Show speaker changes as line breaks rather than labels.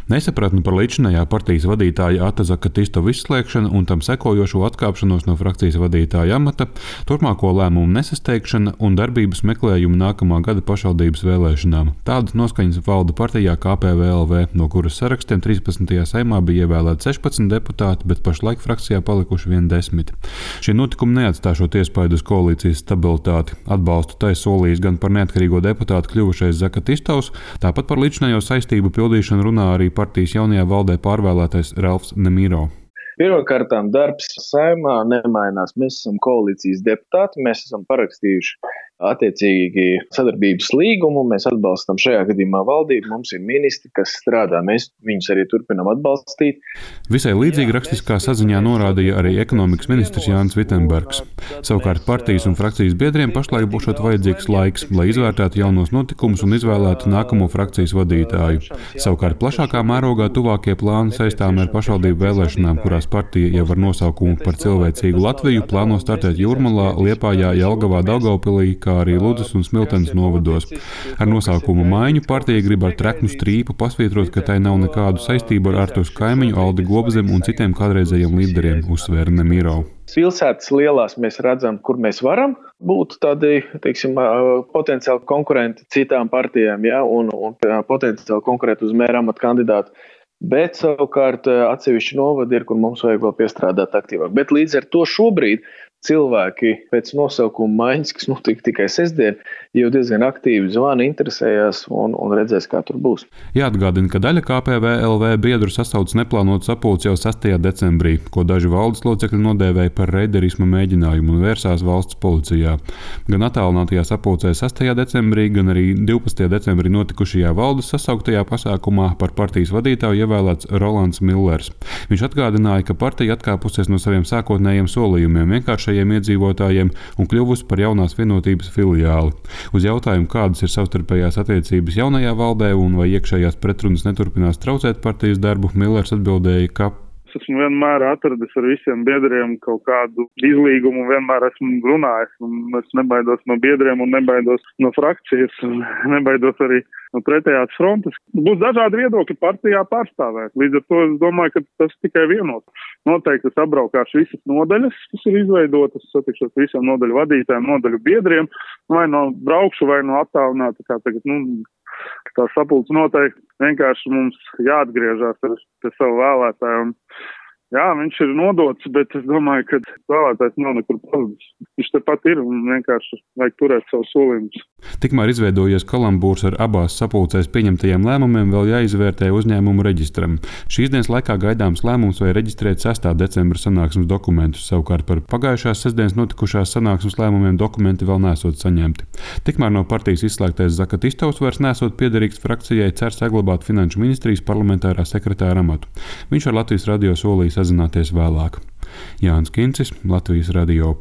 Nesapratni par līdzinājā partijas vadītāja Ata Zakatistovas izslēgšanu un tam sekojošo atkāpšanos no frakcijas vadītāja amata, turpmāko lēmumu nesasteigšana un darbības meklējumu nākamā gada pašvaldības vēlēšanām. Tādas noskaņas valda partijā KPVLV, no kuras sarakstiem 13. saimā bija ievēlēti 16 deputāti, bet pašlaik frakcijā palikuši vien 10. Šie notikumi neatstāšot iespaidu uz koalīcijas stabilitāti. Atbalstu tai solījis gan par neatkarīgo deputātu kļuvušais Zakatistovs, tāpat par līdzinējo saistību pildīšanu runā arī partijas jaunajā valdē pārvēlētais Ralfs Nemiro.
Pirmkārtām darbs saimā nemainās. Mēs esam koalīcijas deputāti, mēs esam parakstījuši attiecīgi sadarbības līgumu, mēs atbalstam šajā gadījumā valdību, mums ir ministri, kas strādā, mēs viņus arī turpinām atbalstīt.
Visai līdzīgi rakstiskā saziņā norādīja arī ekonomikas ministrs Jānis Vitenbergs. Savukārt partijas un frakcijas biedriem pašlaik būšot vajadzīgs laiks, lai izvērtētu jaunos notikumus un izvēlētu nākamo frakcijas vadītāju. Savukārt plašākā mērogā tuvākie plāni saistām ar pašvaldību vēlēšanām, kurās partija jau ar nosaukumu par cilvēcīgu Latviju plāno startēt Jūrmalā, Liepājā, Jelgavā, Daugavpilī, kā arī Ludzas un Smiltenes novados. Ar nosaukumu maiņu partija grib ar treknu strīpu pasvītrot, ka tai nav nekādu saistību ar Artūru Kaimiņu, Aldi Gobzemi un citiem kādreizējiem līderiem, uzsvēra Nemiro.
Pilsētas lielās mēs redzam, kur mēs varam būt tādi, potenciāli konkurenti citām partijām, ja, un potenciāli konkurenti uz mēra amata kandidātu. Bet savukārt atsevišķi novadi ir, kur mums vajag vēl piestrādāt aktīvāk. Bet līdz ar to šobrīd cilvēki pēc nosaukuma maiņas, kas notika tikai sestdien, jau diezgan aktīvi zvana, interesējās un redzēs, kā tur būs.
Jāatgādina, ka daļa KPVLV biedru sasauc neplānotu sapulci jau 6. decembrī, ko daži valdes locekļi nodēvēja par reiderisma mēģinājumu un vērsās valsts policijā. Gan attālinātajā sapulcē 6. decembrī, gan arī 12. decembrī notikušajā valdes sasauktajā pasākumā par partijas vadītāju ievēlēts Rolands Millers. Viņš atgādināja, ka partija atkāpusies no saviem sākotnējiem solījumiem vienkāršajiem iedzīvotājiem un kļuvusi par jaunās vienotības filiāli. Uz jautājumu, kādas ir savstarpējās attiecības jaunajā valdē un vai iekšējās pretrunas neturpinās traucēt partijas darbu, Millers atbildēja, ka
es esmu vienmēr atradis ar visiem biedriem kaut kādu izlīgumu, vienmēr esmu runājis, un es nebaidos no biedriem un nebaidos no frakcijas, un nebaidos arī no pretējās frontes. Būs dažādi viedokļi partijā pārstāvēt. Līdz ar to es domāju, ka tas tikai vienot. Noteikti es apbraukāšu visas nodaļas, kas ir izveidotas, satikšos visiem nodaļu vadītājiem, nodaļu biedriem, vai no braukšu, vai no attālināta, kā tagad, tā sapulce noteikti vienkārši mums jāatgriežās ar savu vēlētāju. Jā, viņš ir nodots, bet es domāju, ka vēlētājs nav nekur pazudis. Viņš tepat ir un vienkārši vajag turēt savus solījumus.
Tikmēr izveidojies kalambūrs ar abās sapulcēs pieņemtajiem lēmumiem vēl jāizvērtē uzņēmumu reģistram. Šīs dienas laikā gaidāms lēmums vai reģistrēt 6. decembra sanāksmes dokumentus, savukārt par pagājušās sestdienas notikušās sanāksmes lēmumiem dokumenti vēl nesot saņemti. Tikmēr no partijas izslēgtais Zakatistovs vairs nesot piederīgs frakcijai, cer saglabāt Finanšu ministrijas parlamentārā sekretāra amatu. Viņš ar Latvijas radio solīja sazināties vēlāk. Jānis Kincis, Latvijas radio.